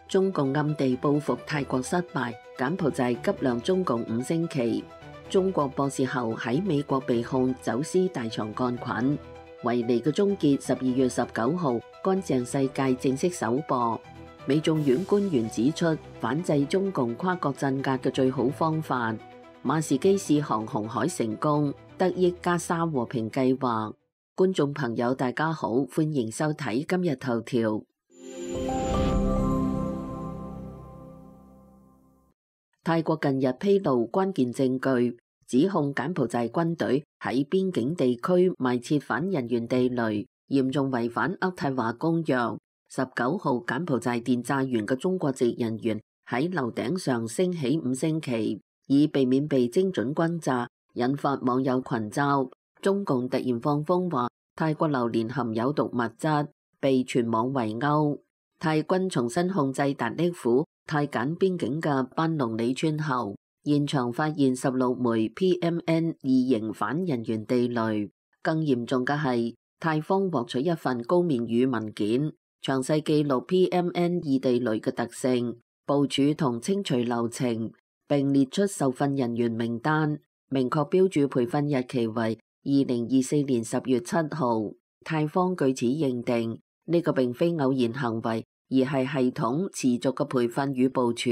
中共暗地報復泰國失敗，柬埔寨急晾中共5星期。中國博士後喺美國被控走私大腸桿菌。維尼嘅終結12月19號，乾淨世界正式首播。美眾院官員指出，反制中共跨國鎮壓嘅最好方法。馬士基試航紅海成功，得益加沙和平計劃。觀眾朋友大家好，歡迎收睇今日頭條。泰國近日披露關鍵證據，指控柬埔寨軍隊喺邊境地區埋設反人員地雷，嚴重違反渥太華公約。19號，柬埔寨電炸園嘅中國籍人員喺樓頂上升起5星期，以避免被精準轟炸，引發網友群嘲。中共突然放風話泰國榴蓮含有毒物質，被全網圍毆。泰軍重新控制達叻府泰柬邊境嘅班龍里村後，現場發現16枚 PMN2 型反人員地雷。更嚴重嘅係，泰方獲取一份高棉語文件，詳細記錄 PMN2 地雷嘅特性、部署同清除流程，並列出受訓人員名單，明確標注培訓日期為2024年10月7號。泰方據此認定呢個並非偶然行為，而係系統持續嘅培訓與部署，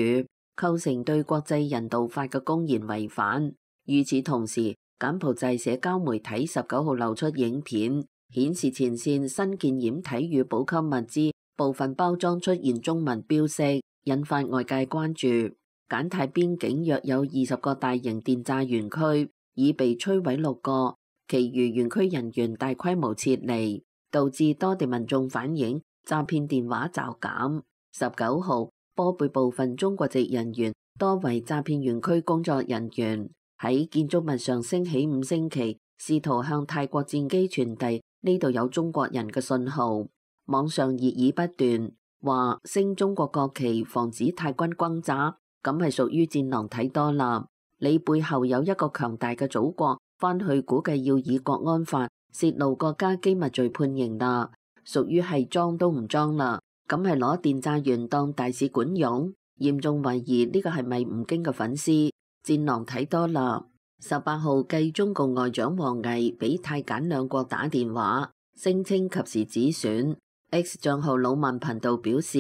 構成對國際人道法嘅公然違反。與此同時，柬埔寨社交媒體19號流出影片，顯示前線新建掩體與補給物資部分包裝出現中文標識，引發外界關注。柬泰邊境約有20個大型電炸園區，已被摧毀6個，其餘園區人員大規模撤離，導致多地民眾反映詐騙電話驟減。19號，波貝部分中國籍人員，多為詐騙園區工作人員，喺建築物上升起5星期，試圖向泰國戰機傳遞呢度有中國人嘅信號。網上熱議不斷，話升中國國旗防止泰軍轟炸，咁係屬於戰狼睇多啦。你背後有一個強大嘅祖國，翻去估計要以國安法泄露國家機密罪判刑啦。屬於係裝都唔裝啦，咁係攞電炸園當大使館用，嚴重懷疑呢個係咪吳京嘅粉絲？戰狼睇多啦。18號，繼中共外長王毅俾泰柬兩國打電話，聲稱及時止損。X 賬號老萬頻道表示，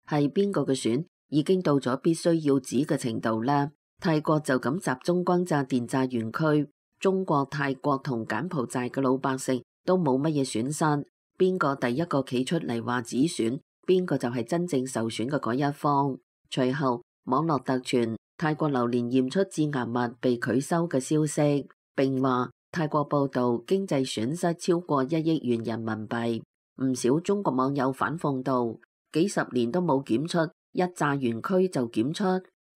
係邊個嘅損已經到咗必須要止嘅程度呢？泰國就咁集中轟炸電炸園區，中國、泰國同柬埔寨嘅老百姓都冇乜嘢損失。邊個第一個企出嚟話止損，邊個就係真正受損嘅嗰一方。隨後網絡突傳泰國榴蓮驗出致癌物被拒收嘅消息，並話泰國報道經濟損失超過1億元人民幣。唔少中國網友反諷道：幾十年都冇檢出，一炸園區就檢出，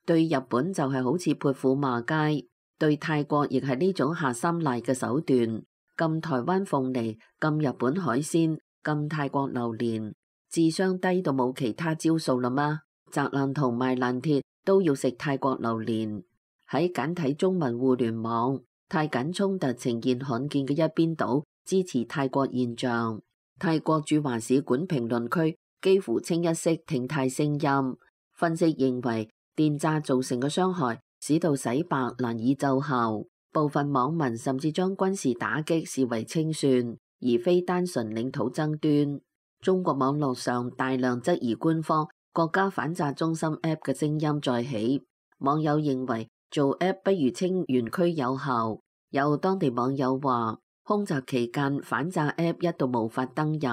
對日本就係好似潑婦罵街，對泰國亦係呢種下三賴嘅手段。禁台灣鳳梨，禁日本海鮮，禁泰國榴蓮，智商低到冇其他招數啦嗎？砸爛同賣爛鐵都要食泰國榴蓮。喺簡體中文互聯網，泰柬衝突呈現罕見嘅一邊倒支持泰國現象。泰國駐華使館評論區幾乎清一色挺泰聲音，分析認為電炸造成嘅傷害使到洗白難以奏效。部分網民甚至將軍事打擊視為清算，而非單純領土爭端。中國網絡上大量質疑官方國家反炸中心 App 嘅聲音再起，網友認為做 App 不如清園區有效。有當地網友話，空襲期間反炸 App 一度無法登入，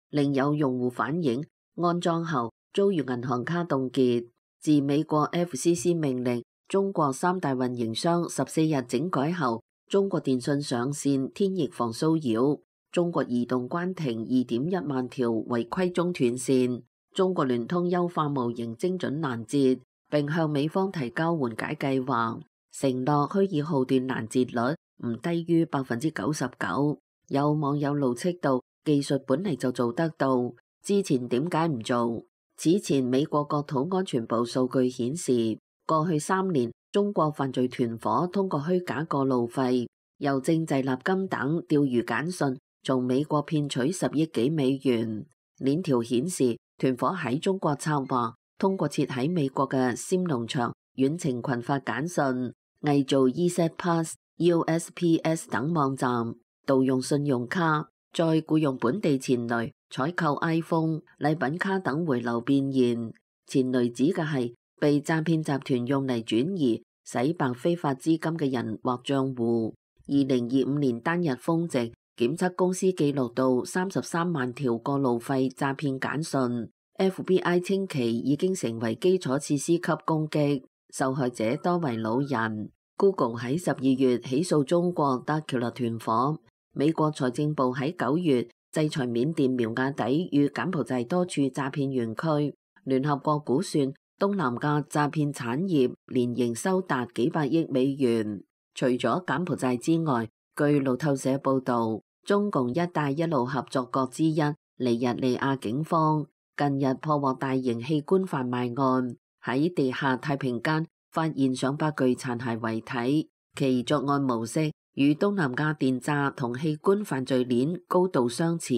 另有用戶反映安裝後遭遇銀行卡凍結。自美國 FCC 命令中國3大運營商14日整改後，中國電信上線天翼防騷擾，中國移動關停2.1萬條違規中斷線，中國聯通優化模型精準攔截，並向美方提交緩解計劃，承諾虛擬號段攔截率唔低於99%。有網友怒斥道：技術本嚟就做得到，之前點解唔做？此前美國國土安全部數據顯示，過去3年，中國犯罪團伙通過虛假過路費、郵政滯納金等釣魚簡訊，從美國騙取10億幾美元。鏈條顯示，團伙喺中國策劃、通過設喺美國嘅 SIM 農場遠程群發簡訊，偽造 eZPass、USPS 等網站，盜用信用卡，再僱用本地錢騾採購 iPhone、禮品卡等回流變現。錢騾指嘅係被詐騙集團用嚟轉移、洗白非法資金嘅人或帳戶。2025年單日峰值檢測公司記錄到33萬條過路費詐騙簡訊。FBI 稱其已經成為基礎設施級攻擊，受害者多為老人。Google 喺12月起訴中國 Darkula 團伙。美國財政部喺9月制裁緬甸苗亞底與柬埔寨多處詐騙園區。聯合國估算東南亞詐騙產業年營收達幾百億美元。除咗柬埔寨之外，據路透社報道，中共一帶一路合作國之一尼日利亞警方近日破獲大型器官販賣案，喺地下太平間發現上百具殘骸遺體，其作案模式與東南亞電詐同器官犯罪鏈高度相似。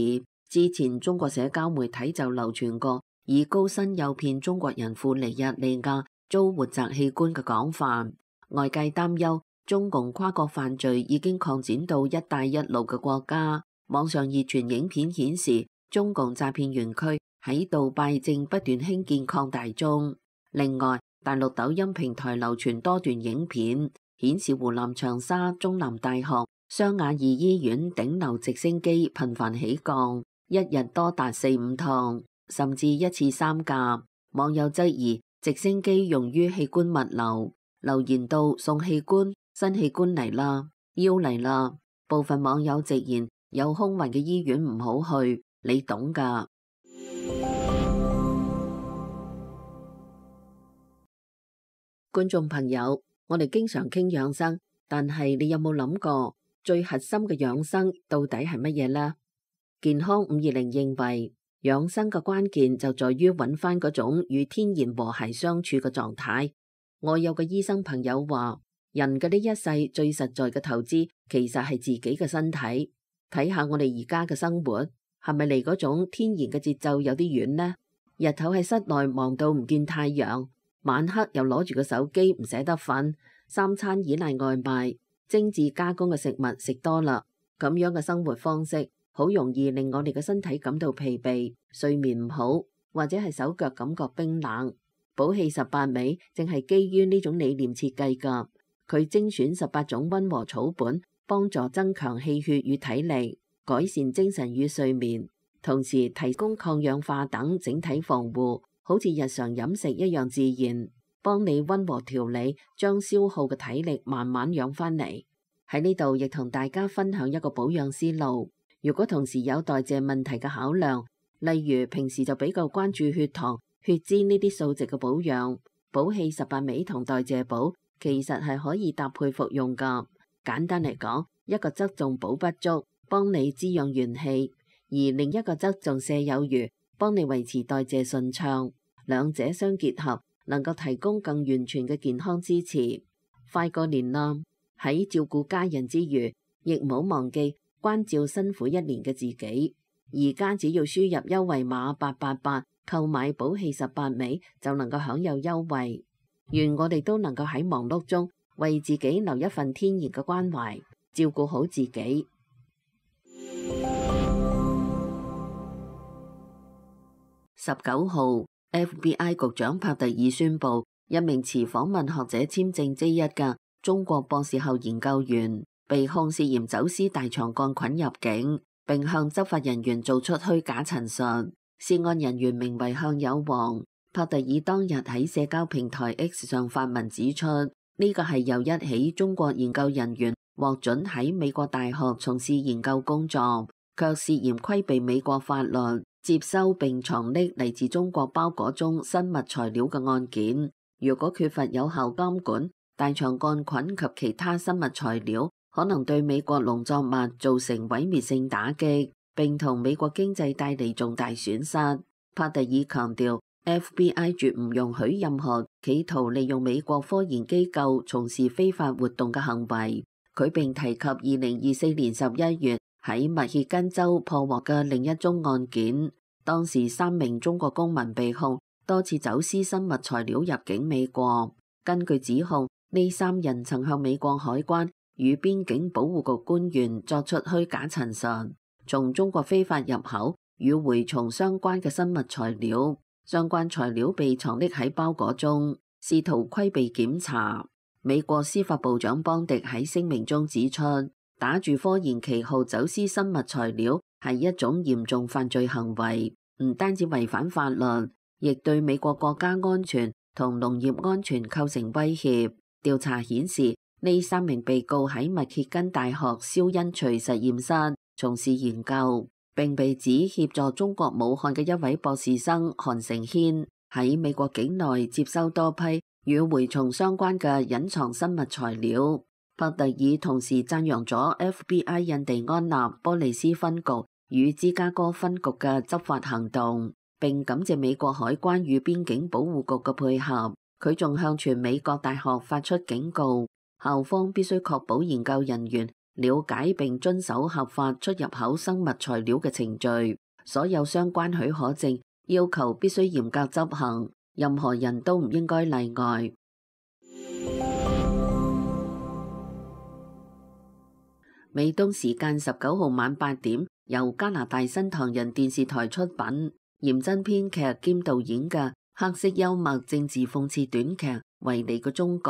之前中國社交媒體就流傳過以高薪誘騙中國人赴尼日利亞遭活摘器官嘅廣泛，外界擔憂中共跨國犯罪已經擴展到一帶一路嘅國家。網上熱傳影片顯示，中共詐騙園區喺杜拜正不斷興建擴大中。另外，大陸抖音平台流傳多段影片，顯示湖南長沙中南大學、湘雅二醫院頂樓直升機頻繁起降，一日多達4-5趟，甚至一次3架。網友質疑直升機用於器官物流，留言道送器官，新器官嚟啦，腰嚟啦。部分網友直言有空運嘅醫院唔好去，你懂㗎。觀眾朋友，我哋經常傾養生，但係你有冇諗過最核心嘅養生到底係乜嘢呢？健康520認為，養生嘅關鍵就在於揾翻嗰種與天然和諧相處嘅狀態。我有個醫生朋友話，人嘅呢一世最實在嘅投資其實係自己嘅身體。睇下我哋而家嘅生活，係咪離嗰種天然嘅節奏有啲遠呢？日頭喺室內忙到唔見太陽，晚黑又攞住個手機唔捨得瞓，三餐依賴外賣，精緻加工嘅食物食多啦，咁樣嘅生活方式好容易令我哋嘅身體感到疲憊，睡眠唔好，或者係手腳感覺冰冷。寶氣18味正係基於呢種理念設計㗎，佢精選18種溫和草本，幫助增強氣血與體力，改善精神與睡眠，同時提供抗氧化等整體防護，好似日常飲食一樣自然，幫你溫和調理，將消耗嘅體力慢慢養翻嚟。喺呢度亦同大家分享一個保養思路。如果同時有代謝問題嘅考量，例如平時就比較關注血糖、血脂呢啲數值嘅保養，寶氣18味同代謝寶其實係可以搭配服用㗎。簡單嚟講，一個側重補不足，幫你滋養元氣，而另一個側重瀉有餘，幫你維持代謝順暢。兩者相結合，能夠提供更完全嘅健康支持。快過年啦，喺照顧家人之餘，亦唔好忘記關照辛苦1年嘅自己。而家只要輸入優惠碼888，購買寶氣18味就能夠享有優惠。願我哋都能夠喺忙碌中為自己留一份天然嘅關懷，照顧好自己。19號，FBI 局長帕特爾宣布，一名持訪問學者簽證 J1嘅中國博士後研究員被控涉嫌走私大腸桿菌入境，並向執法人員做出虛假陳述。涉案人員名為向有王。帕特爾當日喺社交平台 X 上發文指出，呢個係由一起中國研究人員獲准喺美國大學從事研究工作，卻涉嫌規避美國法律，接收並藏匿嚟自中國包裹中生物材料嘅案件。如果缺乏有效監管，大腸桿菌及其他生物材料可能對美國農作物造成毀滅性打擊，並同美國經濟帶嚟重大損失。帕特爾強調，FBI 絕唔容許任何企圖利用美國科研機構從事非法活動嘅行為。佢並提及2024年11月喺密歇根州破獲嘅另一宗案件，當時3名中國公民被控多次走私生物材料入境美國。根據指控，呢3人曾向美國海關與邊境保護局官員作出虛假陳述，從中國非法入口與蛔蟲相關嘅生物材料，相關材料被藏匿喺包裹中，試圖規避檢查。美國司法部長邦迪喺聲明中指出，打住科研旗號走私生物材料係一種嚴重犯罪行為，唔單止違反法律，亦對美國國家安全同農業安全構成威脅。調查顯示，呢3名被告喺密歇根大學蕭恩徐實驗室從事研究，並被指協助中國武漢嘅一位博士生韓承軒喺美國境內接收多批與蛔蟲相關嘅隱藏生物材料。帕特爾同時讚揚咗 FBI 印第安納波利斯分局與芝加哥分局嘅執法行動，並感謝美國海關與邊境保護局嘅配合。佢仲向全美各大學發出警告，校方必須確保研究人員了解並遵守合法出入口生物材料嘅程序，所有相關許可證要求必須嚴格執行，任何人都唔應該例外。美東時間19號晚8點，由加拿大新唐人電視台出品，嚴真編劇兼導演嘅黑色幽默政治諷刺短劇《維尼嘅終局》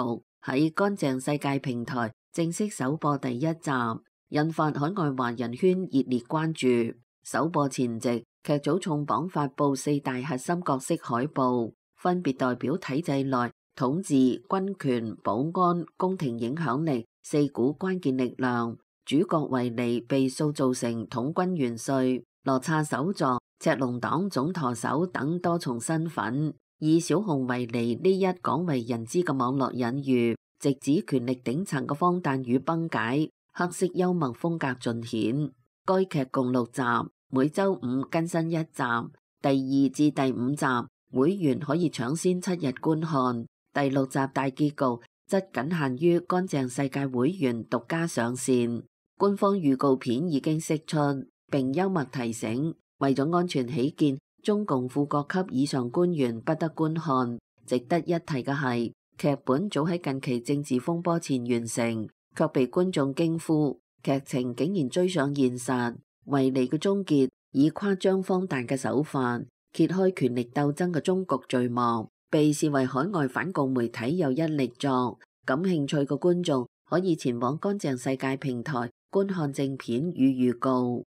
喺乾淨世界平台正式首播第1集，引發海外華人圈熱烈關注。首播前夕，劇組重磅發布4大核心角色海報，分別代表體制內統治、軍權、保安、宮廷影響力4股關鍵力量。主角維尼被塑造成統軍元帥、羅剎首座、赤龍黨總舵手等多重身份，以小熊維尼呢一廣為人知嘅網絡隱喻，直指權力頂層嘅荒誕與崩解，黑色幽默風格盡顯。該劇共6集，每周5更新1集，第2至第5集會員可以搶先7日觀看，第6集大結局則僅限於乾淨世界會員獨家上線。官方預告片已經釋出，並幽默提醒，為咗安全起見，中共副國級以上官員不得觀看。值得一提嘅係，劇本早喺近期政治風波前完成，卻被觀眾驚呼，劇情竟然追上現實。維尼嘅終結以誇張荒誕嘅手法揭開權力鬥爭嘅終局序幕，被視為海外反共媒體又一力作。感興趣嘅觀眾可以前往乾淨世界平台觀看正片與預告。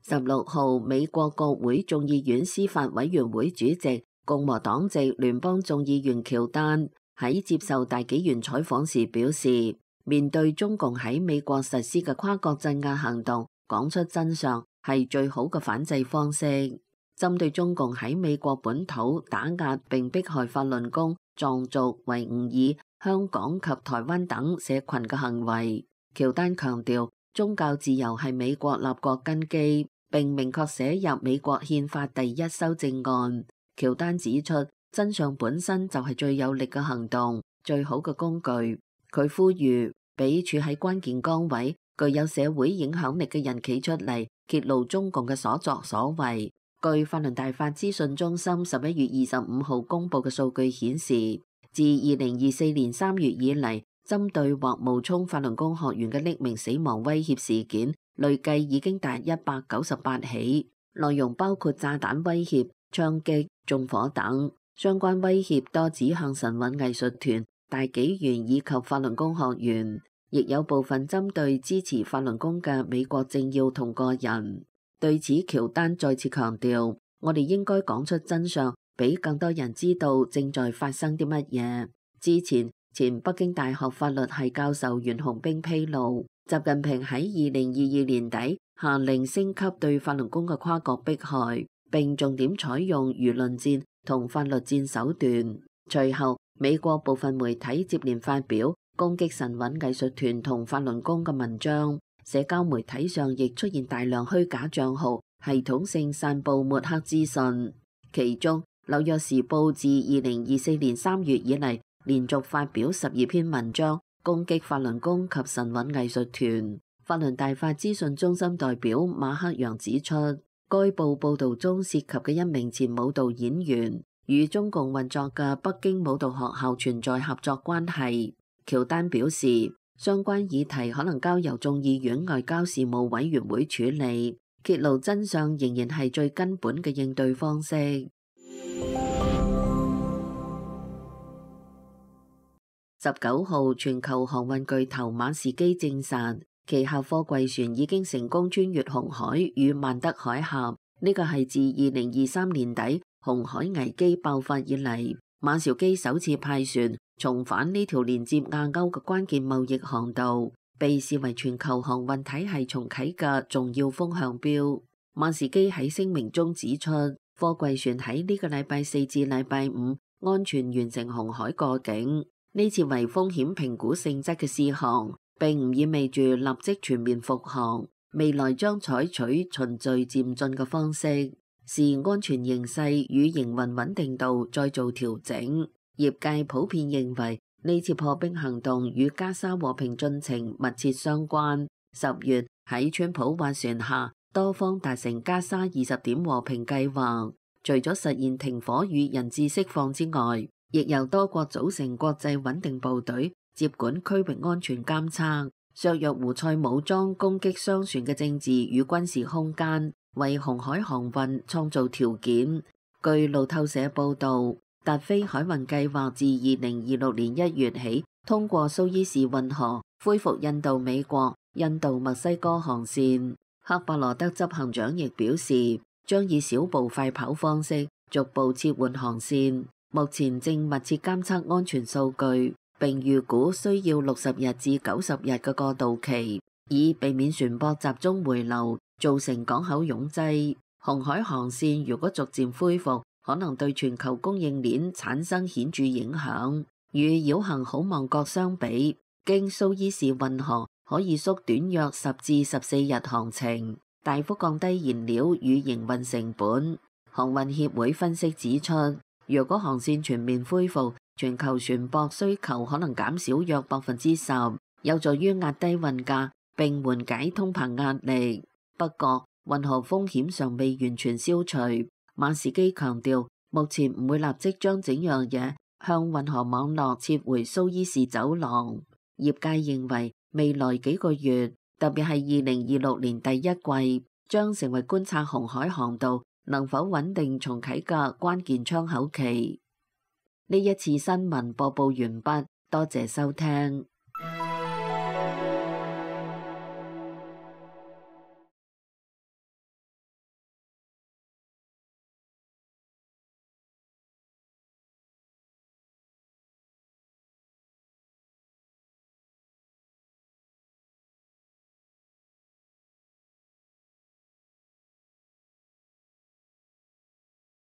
16號，美國國會眾議院司法委員會主席、共和黨籍聯邦眾議員喬丹喺接受大紀元採訪時表示，面對中共喺美國實施嘅跨國鎮壓行動，講出真相係最好嘅反制方式。針對中共喺美國本土打壓並迫害法輪功、藏族、維吾爾、香港及台灣等社群嘅行為，喬丹強調宗教自由係美國立國根基，並明確寫入美國憲法第1修正案。喬丹指出，真相本身就係最有力嘅行動，最好嘅工具。佢呼籲俾處喺關鍵崗位、具有社會影響力嘅人企出嚟，揭露中共嘅所作所為。據法輪大法資訊中心11月25號公佈嘅數據顯示，自2024年3月以嚟，針對或冒充法輪功學員嘅匿名死亡威脅事件，累計已經達198起，內容包括炸彈威脅、槍擊、縱火等。相關威脅多指向神韻藝術團、大紀元以及法輪功學員，亦有部分針對支持法輪功嘅美國政要同個人。對此，喬丹再次強調，我哋應該講出真相，俾更多人知道正在發生啲乜嘢。之前，前北京大學法律系教授袁洪兵披露，習近平喺2022年底下令升級對法輪功嘅跨國迫害，並重點採用輿論戰同法律戰手段。隨後，美國部分媒體接連發表攻擊神韻藝術團同法輪功嘅文章。社交媒體上亦出現大量虛假賬號，系統性散佈抹黑資訊。其中，《紐約時報》自2024年3月以嚟，連續發表12篇文章，攻擊法輪功及神韻藝術團。法輪大法資訊中心代表馬克揚指出，該報報導中涉及嘅一名前舞蹈演員，與中共運作嘅北京舞蹈學校存在合作關係。喬丹表示，相關議題可能交由眾議院外交事務委員會處理，揭露真相仍然係最根本嘅應對方式。19號，全球航運巨頭馬士基證實，旗下貨櫃船已經成功穿越紅海與曼德海峽。呢個係自2023年底紅海危機爆發以嚟，馬紹基首次派船重返呢條連接亞歐嘅關鍵貿易航道，被視為全球航運體系重啟嘅重要風向標。馬士基喺聲明中指出，貨櫃船喺呢個禮拜4至禮拜5安全完成紅海過境。呢次為風險評估性質嘅試航，並唔意味住立即全面復航。未來將採取循序漸進嘅方式，視安全形勢與營運穩定度再做調整。業界普遍認為呢次破冰行動與加沙和平進程密切相關。10月喺川普斡旋下，多方達成加沙20點和平計劃，除咗實現停火與人質釋放之外，亦由多國組成國際穩定部隊接管區域安全監測，削弱胡塞武裝攻擊商船嘅政治與軍事空間，為紅海航運創造條件。據路透社報導，達飛海運計劃自2026年1月起，通過蘇伊士運河恢復印度美國、印度墨西哥航線。赫伯羅德執行長亦表示，將以小步快跑方式逐步切換航線。目前正密切監測安全數據，並預估需要60日至90日嘅過渡期，以避免船舶集中回流，造成港口擁擠。紅海航線如果逐漸恢復，可能對全球供應鏈產生顯著影響。與繞行好望角相比，經蘇伊士運河可以縮短約10至14日航程，大幅降低燃料與營運成本。航運協會分析指出，若果航線全面恢復，全球船舶需求可能減少約10%，有助於壓低運價並緩解通膨壓力。不過，運河風險尚未完全消除。馬士基強調，目前唔會立即將整樣嘢向運河網絡撤回蘇伊士走廊。業界認為，未來幾個月，特別係2026年第一季，將成為觀察紅海航道能否穩定重啟嘅關鍵窗口期。呢一次新聞播報完畢，多謝收聽。